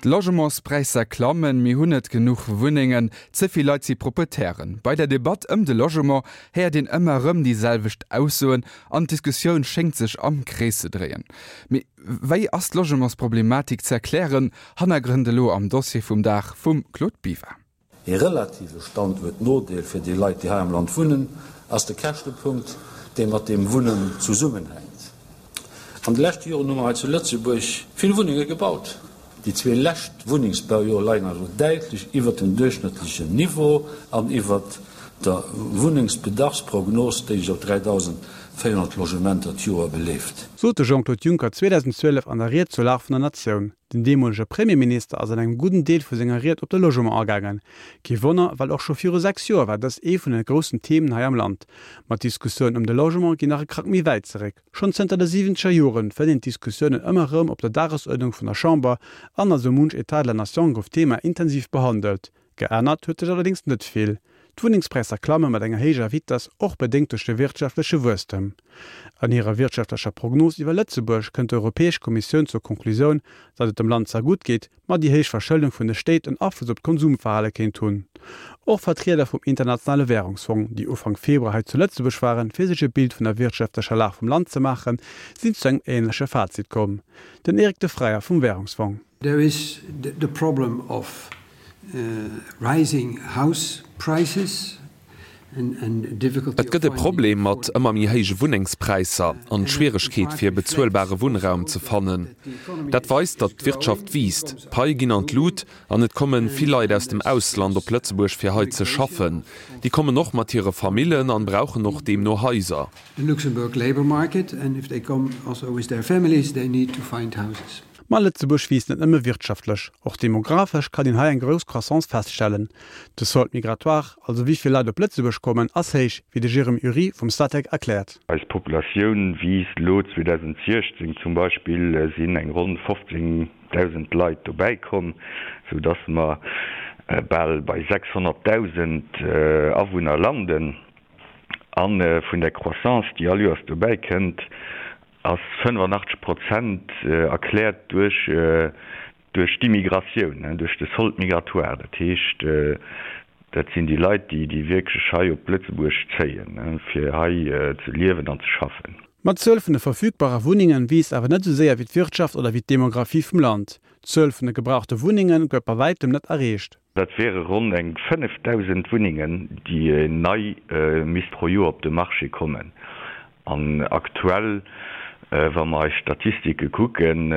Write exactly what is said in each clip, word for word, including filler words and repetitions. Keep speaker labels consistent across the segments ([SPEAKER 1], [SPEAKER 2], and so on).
[SPEAKER 1] D'Logementspräisser klammen, mir hunn net genuch Wunnengen, ze vill Leit si Proprietären. Bei der Debatt ëm de Logement héiert een ëmmer erëm déi selwecht Aussoen an d'Diskussioun schéngt sech am Krees ze dréien. Mee wéi ass d'Logementsproblematik ze erklären? Hannergrënn elo am Dossier vum Dag vum Claude Biver.
[SPEAKER 2] Ee relative Standuertnodeel fir déi Leit, déi hei am Land wunnen, ass de Käschtepunkt, dee mat dem Wunnen zesummenhänkt. An de leschte Joren hu mer hei zu Lëtzebuerg vill Wunnenge gebaut. Déi zwee lescht Wunnengsbaujoer leien also däitlech iwwert dem duerchschnëttlechen Niveau an iwwert der Wunnengsbedarfsprognos, déi sech op dräidausendvéierhonnert Logementer d'Joer beleeft.
[SPEAKER 3] Sot de Jean-Claude Juncker zweedausendzwielef an der Ried zur Lag vun der Natioun. Den deemolege Premierminister ass an engem gudden Deel vu senger Ried op de Logement agaangen. Kee Wonner, well och scho viru sechs Joer war dëst ee vun de groussen Themen hei am Land. Ma d'Diskussioun ëm de Logement ginn nach e Krack méi wäit zeréck. Schonn zënter de siwwenzeger Joren fënnt een d'Diskussiounen ëmmer erëm op der Dagesuerdnung vun der Chamber an a sou munch État de la Nation gouf d'Thema intensiv behandelt. Geännert huet sech allerdéngs net vill. D'Wunnengspräisser klamme mat enger héijer Vitess, och bedéngt duerch de wirtschaftleche Wuesstem. An hirer wirtschaftlecher Prognos iwwer Lëtzebuerg kënnt d'Europäesch Kommissioun zur Konklusioun, datt et dem Land zwar gutt geet, ma déi héich Verschëldung vun de Stéit en Afloss op d'Konsumverhale kéint hunn. Och Vertrieder vum Internationale Wärungsfong, déi Ufank Februar hei zu Lëtzebuerg waren, fir sech e Bild vun der wirtschaftlecher Lag vum Land ze maachen, sinn zu engem änleche Fazit komm. Den Eric de Freyer vum Wärungsfong.
[SPEAKER 4] There is the problem of rising house prices and difficulty
[SPEAKER 5] Et gëtt e Problem mat ëmmer méi héije Wunnengspräisser an d'Schwieregkeet fir bezuelbare Wunnraum ze fannen. Dat weist, datt d'Wirtschaft wiisst, d'Paie ginn an d'Lut an et komme vill Leit aus dem Ausland op Lëtzebuerg fir hei ze schaffen. Déi kommen och mat hire Famillen an brauchen och deemno Haiser.
[SPEAKER 4] The Luxembourg labour market and if they come also with their families they need to find houses.
[SPEAKER 3] Ma Lëtzebuerg wiisst net nëmme wirtschaftlech, och demographesch kann een hei eng grouss Croissance feststellen. De Solde migratoire, also wéi vill Leit op Lëtzebuerg kommen, ass héich, wéi de Jérôme Ury vum Statec erkläert.
[SPEAKER 6] Eis Populatioun wiisst, elo zweedausentsiechzéng zum Beispill sinn eng ronn fofzéngdausend Leit dobäi komm, sou dass mer bal bei sechshonnertdausend Awunner landen. A vun där Croissance, déi all Joers dobäi kënnt, ass fënnefanachteg Prozent erkläert duerch duerch d'Immigratioun, duerch de Solde migratoire. Dat heescht, dat sinn déi Leit, déi déi wierklech hei op Lëtzebuerg zéien, fir hei ze liewen an ze schaffen.
[SPEAKER 3] Ma d'Zuel vun de verfügbare Wunnengen wiisst awer net esou séier wéi d'Wirtschaft oder wéi d'Demographie vum Land. D'Zuel vun de gebrauchte Wunnenge gëtt bei wäitem net erreecht.
[SPEAKER 6] Dat wiere ronn eng fënnefdausend Wunnengen, déi nei misst pro Joer op de Marché kommen. An aktuell, wa mer eis Statistike kucken,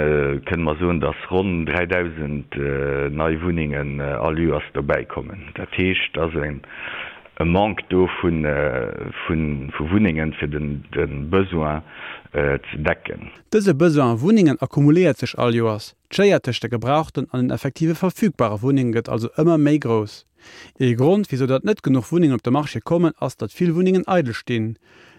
[SPEAKER 6] kënne mer soen, datt ronn dräidausend nei Wunnengen all Joers dobäikommen. Dat heescht, et ass e Manque do vu Wunnengen, fir de Besoin ze decken.
[SPEAKER 3] Dëse Besoin u Wunnengen akkumuléiert sech all Joers. D'Schéier tëscht de gebrauchten an den effektive verfügbare Wunnenge gëtt also ëmmer méi grouss. Ee Grond, wisou datt net genuch Wunnengen op de Marché kommen, ass, datt vill Wunnengen eidel stinn.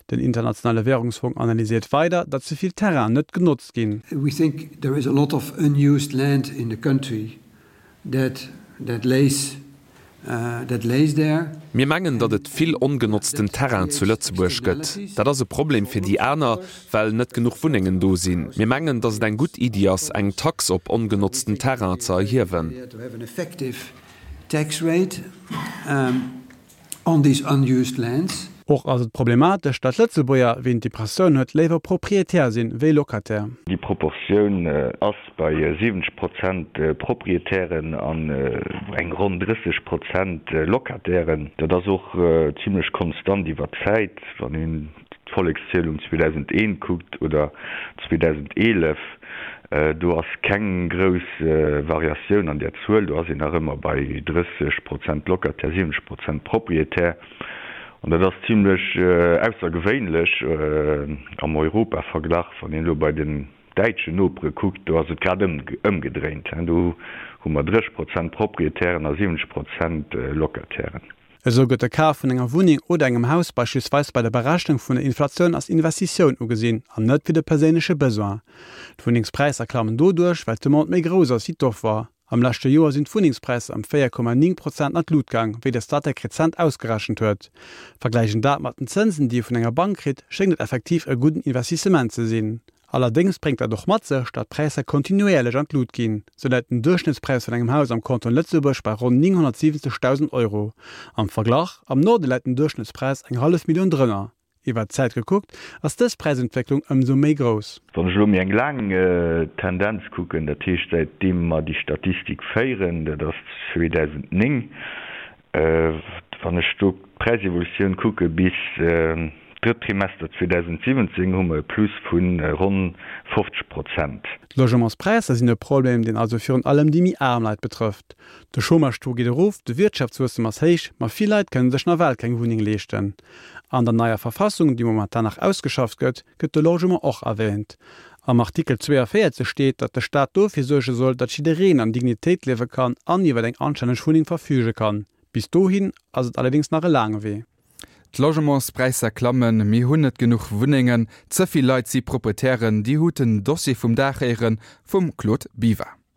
[SPEAKER 3] Den Internationale Wärungsfong analyséiert weider, datt ze vill Terrainen net genotzt ginn.
[SPEAKER 4] We think there is a lot of unused land in the country that that lays that lays there.
[SPEAKER 5] Mir mengen, datt et vill ongenotzten Terrain zu Lëtzebuerg gëtt. Dat ass e Problem fir déi aner, well net genuch Wunnengen do sinn. Mir mengen, datt et eng gutt Iddi ass, eng Tax op ongenotzten Terrain ze erhiewen.
[SPEAKER 4] To have an effective tax rate on these unused lands.
[SPEAKER 3] Och ass et problematesch, datt Lëtzebuerger, wéi een d'Impressioun huet, léiwer Proprietär sinn, wéi Locataire.
[SPEAKER 6] Déi Proportioun ass bei siwwenzeg Prozent Proprietären an eng ronn drësseg Prozent Locatairen. Dat ass och zimlech konstant iwwer d'Zäit, wann een d'Vollekszielung zweedausendeent kuckt oder zweedausendeelef. Do ass keng grouss Variatioun an där Zuel. Do ass een nach ëmmer bei drësseg Prozent Locataire, siwwenzeg Prozent Proprietär. An dat ass zimlech aussergewéinlech am Europaverglach. Wann een elo bei den däitschen Nopere kuckt, do ass et grad ëmgedréint. Do hu mer drësseg Prozent Proprietären a siwwenzeg Prozent Locatairen.
[SPEAKER 3] Esou gëtt de Kaf vun enger Wunneng oder engem Haus beispillsweis bei der Berechnung vun der Inflatioun als Investitioun ugesinn an net wéi de perséinleche Besoin. D'Wunnengspräisser klammen doduerch, well d'Demande méi grouss ass wéi d'Offer. Am leschte Joer sinn d'Wunnengspräisser ëm véier Komma néng Prozent an d'Lut gaang, wéi de Statec rezent ausgerechent huet. Vergläicht een dat mat den Zënsen, déi ee vun enger Bank kritt, schéngt et effektiv e gudden Investissement ze sinn. Allerdéngs bréngt dat och mat sech, datt d'Präisser kontinuéierlech an d'Lut ginn. Sou läit den Duerchschnëttspräis vun engem Haus am Kanton Lëtzebuerg bei ronn nénghonnertsiwwenzegdausend Euro. Am Verglach, am Norde läit den Duerchschnëttspräis eng hallef Millioun drënner. Iwwer d'Zäit gekuckt, ass dës Präisentwécklung ëmsou méi grouss.
[SPEAKER 6] Wann ech elo méi eng laang Tendenz kucken, dat heescht säitdeem mer déi Statistik féieren, dat ass zweedausendnéng, wann ech do d'Präisevolutioun kucke bis d'drëtt Trimester zweedausendsiwwenzéng, hu mer e Plus vu ronn fofzeg Prozent.
[SPEAKER 3] D'Logementspräisser sinn e Problem, deen also virun allem déi méi aarm Leit betrëfft. De Chômage-Taux geet erof, de Wirtschaftswuesstem ass héich, ma vill Leit kënne sech nawell keng Wunneng leeschten. An der neier Verfassung, déi momentan nach ausgeschafft gëtt, gëtt de Logement och erwäänt. Am Artikel zweeënvéierzeg steet, datt de Staat dofir suerge soll, datt jiddereen an Dignitéit liewe kann an iwwer eng anstänneg Wunneng verfüge kann. Bis dohin ass et allerdéngs nach e laange Wee.
[SPEAKER 1] D'Logementspräisser klammen, mir hunn net genuch Wunnengen, ze vill Leit si Proprietären. Dir hutt den Dossier vum Dag héiere vum Claude Biver.